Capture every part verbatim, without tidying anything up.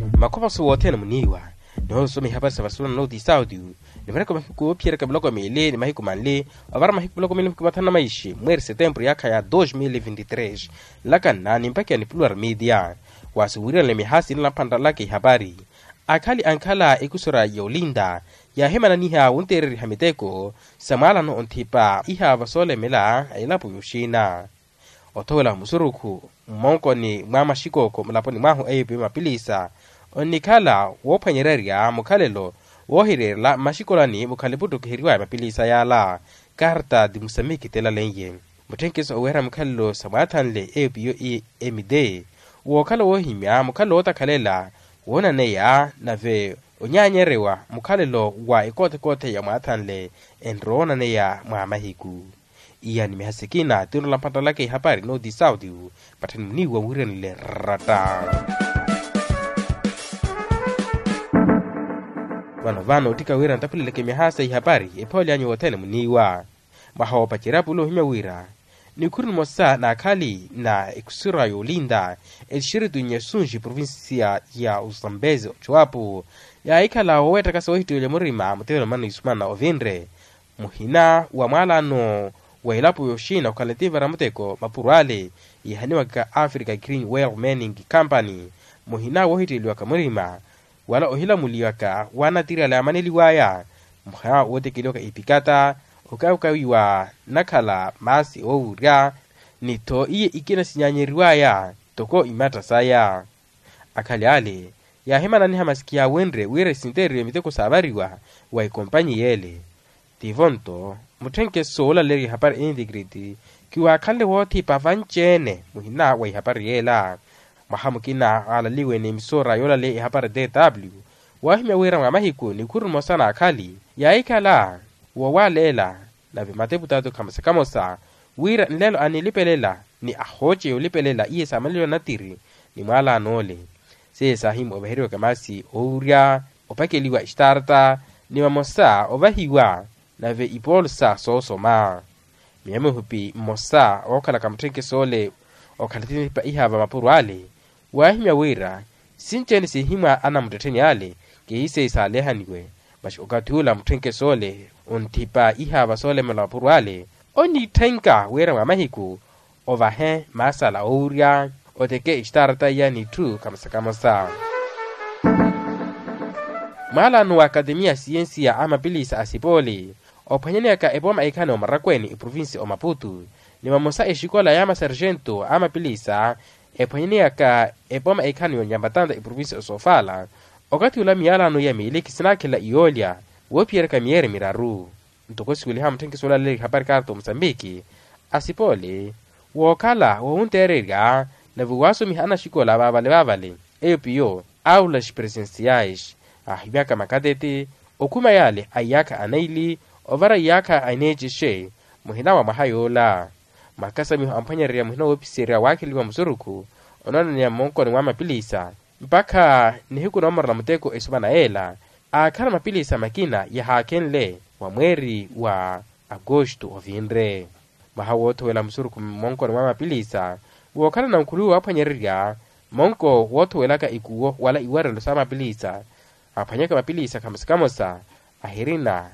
Makhovaso wothene muniiwa, noosoma ihapari sa vasula na nooti sauti. Nivaraka mahiku oophiyeryaka miloko miili ni mahiku manli, ovara mahiku miloko miili mahiku mathanu na maishi mweeri setempuru yaakha ya dos mil vinti tres. Nlakanna nimpakiya ni plural media. Waasi wiiranle mihaasi nlamphanralaka ihapari. Akhali ankhala ekusura yoolinda yaahimananiha wunteereriha miteko sa mwaalano onthipa ihaava soolemela a elapo yooxina. Othowela musurukhu mmonkoni mwa maxikooko mulaponi mwahu eyo piyo mapilisa, onnikhala woophwanyererya mukhalelo woohireerela mmaxikolani mukhale puttukiheriwaya mapilisa yaala. Karta di musamiki telaleiye mutthenkeso oweera mukhalelo sa mwaathanle eyo piyo i emide, wookhala woohimya mukhalelo wootakhalela woonaneya nave onyaanyerewa mukhalelo wa ekoothekoothe ya mwaathanle enrowa onaneya mwa mahiku. Iya ni mihasikina tinrola mpattalaka ihapari nooti sauti. Patthani muniiwa wiiranile ratta. Vano vano ottika wira ntaphuleleke mihaasa ihapari ephoole anyu wothene muniiwa. Mwaha woopacerya pula ohimya wira nikhuru nimosa na akhali na ekusura yoolinda exiritu nyesunji provincia ya usambezi ocuwapu yaahikhala wooweettakasa woohittiwelya murima mutevelo mano isumana ovinre. Muhina wa mwaalano wa elapo yooxina okhala etivara muteko mapuro ale yihaniwaka africa green well manning company. Muhina woohittiweliwaka murima wala ohilamuliwaka wa natiri ale amaneliwaya. Muhina wootekeliwaka ipikata okawukawiwa nakhala maasi oowurya ni tho iye ikina sinyaanyeriwaya toko imatta saya. Akhali ale yaahimananiha masiki yaawenrye wira esinteeriwe miteko saavariwa wa ekompanyi yeele. Tivo nto mutthenkeso woolaleerya ihapari integrity kiwaakhanle woothipa vanci-ene muhina wa ihapari yeela. Mwaha mukina aalaliwe ni emisora yoolaleya ihapari tw waahimya wira mwa mahiku nikhuru nimosa na akhali yaahikhala woowaleela nave mateputatu khamosa khamosa wira nlelo anilipelela ni ahooce yoolipelela iye saamaneliwa natiri ni mwaalano ole. Seiye saahimwa ovaheriwaka maasi oowurya opakeliwa extarta ni vamosa ovahiwa nave ipoolusa soosoma. Miya mihupi mmosa ookhalaka mutthenkeso ole okhala etinipa ihaava mapuro ale waahimya wira sinci-ene siihimwa anamuttettheni ale kihiseyi saalehaniwe. Masi okathi ula mutthenkeso ole onthipa ihaava soolemela mapuro ale onitthenka wira mwa mahiku ovahe maasala oowurya oteke extarta iya n'itthu khamosa khamosa. Mwaalano wa akatemiya a siyensiya a mapilisa a sipooli ophwanyaneyaka epooma ekhani omarakweeni eprovinsi omaputu ni vamosa exikola ya masarjento a mapilisa ephwanyaneyaka epooma ekhani yonyambatanta eprovinsi osofala. Okathi ula miyalano iya miili khisinaakhelela iyoolya woophiyeryaka miyeeri miraru. Ntoko siweliha mutthenkeso olaleerya ihapari karta omosambiki asipoole wookhala woowunteererya nave waasomiha anaxikola vaavale vaavale eyo piyo aulas presenciais aahimyaka makateti okhuma yaale a iyaakha anaili ovara iyaakha aneecexe muhina wa mwaha yoola. Makasamiho amphwanyererya muhina woopiserya waakheliwa musurukhu onoonaniya mmonkoni mwa mapilisa mpakha nihiku noomorela muteko esumana yeela aakhala mapilisa makina yahaakhenle wa mweeri wa agosto ovinre. Mwaha woothowela musurukhu mmonkoni mwa mapilisa wookhalana nkhuluwi waaphwanyererya monko woothowelaka ikuwo wala iwarelo sa mapilisa aphwanyaka mapilisa khamosa khamosa ahirina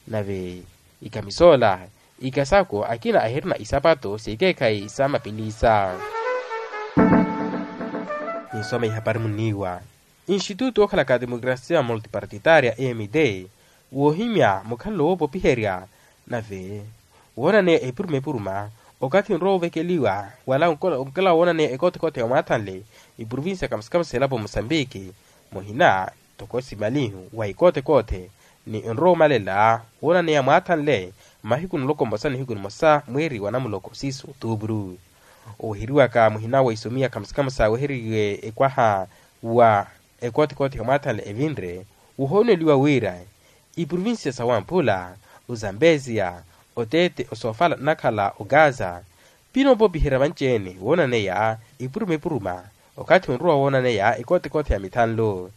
nave ikamisoola ikasako akina ahirina isapato sekeekhayi sa mapilisa. Ninsoma ihapari muniiwa institute wookhalaka a demokrasia multipartitaria emd woohimya mukhalelo woopopiherya nave woonaneya epuruma epuruma okathi onrowa ovekeliwa wala onkela woonaneya ekothekoothe ya mwaathanle iprovinsi ya kamasikama seelapo musambiki muhina toko simalihu wa ikothekoothe ni onrowa omalela woonaneya mwaathanle mmahiku nloko mmosa nihiku nimosa mweeri wa namuloko siiso otuupuru. Oweheriwaka muhina wa isomiya khamusikhamusa weheriwe ekwaha wa ekothekoothe ya mwaathanle evinre wohooneliwa wira iprovincia sa wamphula ozambesia oteete osofala nnakhala ogaza pinoopopiherya vanci-ene woonaneya epuruma epuruma okathi onrowa woonaneya ekothekoothe ya mithanlo.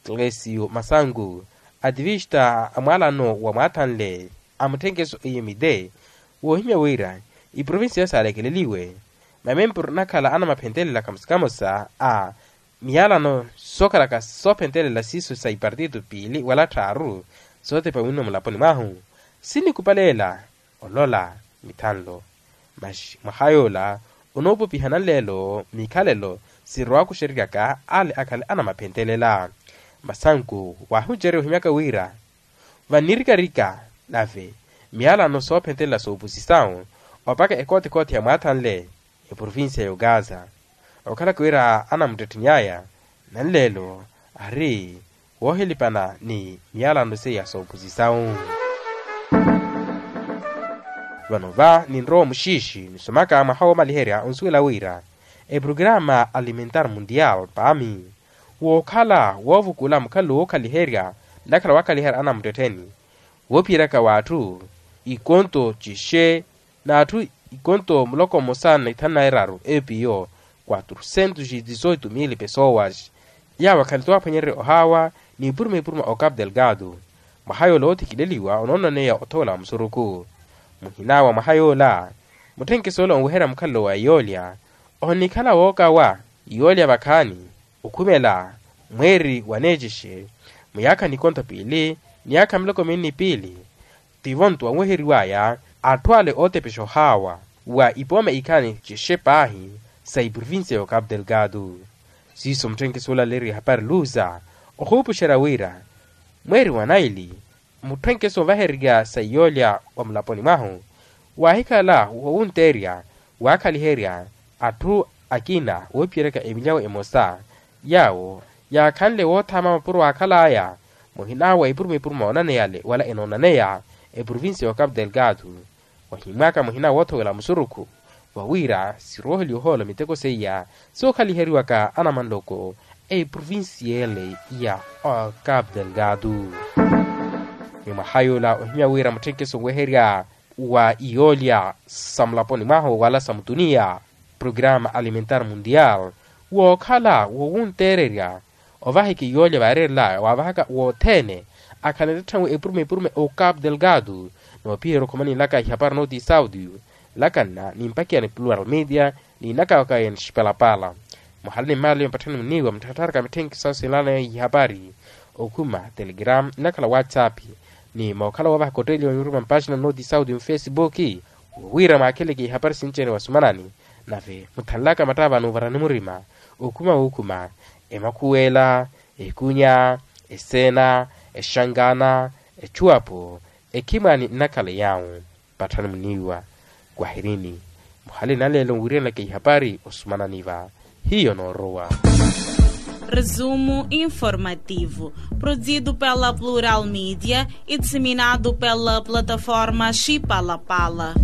Klesio masangu ativista a mwaalano wa mwaathanle a mutthenkeso emide woohimya wira iprovincia saalekheleliwe mamempuru anakhala anamaphentelela khamusikhamusa a miyalano sookhalaka soophentelela siiso sa ipartito piili wala tthaaru sootepa winno mulaponi mwahu, sinikupaleela olola mithanlo. Masi mwaha yoola onoopopiha nanleelo mikhalelo sirowaka oxereryaka ale akhale anamaphentelela. Masanku waahuncerya ohimyaka wira vannirikarika nave miyalano soophentelela soopusisawu opaka ekootekoote ya mwaathanle eprovincia ya ogaza okhalaka wira anamuttetteny'aya nanleelo ari woohilipana ni miyalano seiya soopusisawu. Vano va ninrowa omuxiixi nisomaka mwaha woomaliherya onsuwela wira eprograma alimentar mundial paami wookhala woovukula mukhalelo wookhaliherya nnakhala waakhaliherya anamuttettheni woophiyeryaka w'atthu ikonto cixe n'atthu ikonto muloko mmosa na ithanu na iraru epiyo quatrocentos e dezoito mil pessoas. Yaawo akhale toowaphwanyererya ohaawa n'ipuruma ipuruma o capo delgado mwaha yoola oothikileliwa onoonaneya othowela wa musurukhu muhina wa mwaha yoola mutthenkeso ole onweherya mukhalelo wa iyoolya onikhala wookawa iyoolya vakhaani okhumela mweeri waneecixe muyaakha nikonto piili niyaakha miloko minni piili tivo nto wanweheriwaya atthu ale ootepexa ohaawa wa ipooma ikhaani cixe paahi sa iprovincia ya ocapo delgado. Siiso mutthenkeso ole aleeriwa ehapari luza ohuupuxerya wira mweeri wa naili mutthenkeso onvahererya sa iyoolya wa mulaponi mwahu waahikhala wowunteerya waakhaliherya atthu akina woophiyeryaka emilyawo emosa yaawo yaakhanle woothaama mapuro waakhal'aya muhina wa ipuruma ipuruma oonaneyale wala enoonaneya eprovincia ya ocapo delgado wahimwaka muhina woothowela musurukhu wawira sirooheliwa ohoola miteko seiya sookhaliheriwaka anamanloko a iprovincia ele ya ocapo delgado. Ni mwaha yoola ohimya wira mutthenkeso onweherya wa iyoolya sa mulaponi mwahu wala sa mutuniya programa alimentar mundial wookhala wowunteererya ovahaka iyoolya vaareerelaya waavahaka wothene akhala nttatthawe epurume epurume o capo delgado noopiherya okhoma ninlaka ihapari nooti saudi nlakanna nimpakiya ni plural media niinakawaka ya nixipalapala muhala ni mmaala yompatthani muniiwa mutthattharaka mitthenkiso sinlaanaya ihapari okhuma telegram nnakhala whatsapp ni mookhala woovahaka otteeliwa nyuruma mpaxina nooti saudi mufesibuki wira mwaakheleke ihapari sinci-ene wasumanani nave muthanlaka mattaavano ovarani murima okhuma wookhuma emakhuwela ekunya eseena exangana exuwapo ekhimwani nnakhala yaawo patthani muniiwa kwahirini muhali nanleelo nwiriyanelaka ihapari osumanani va hiyo noorowa. Resumo informativo, produzido pela Plural Media e disseminado pela plataforma Chipalapala.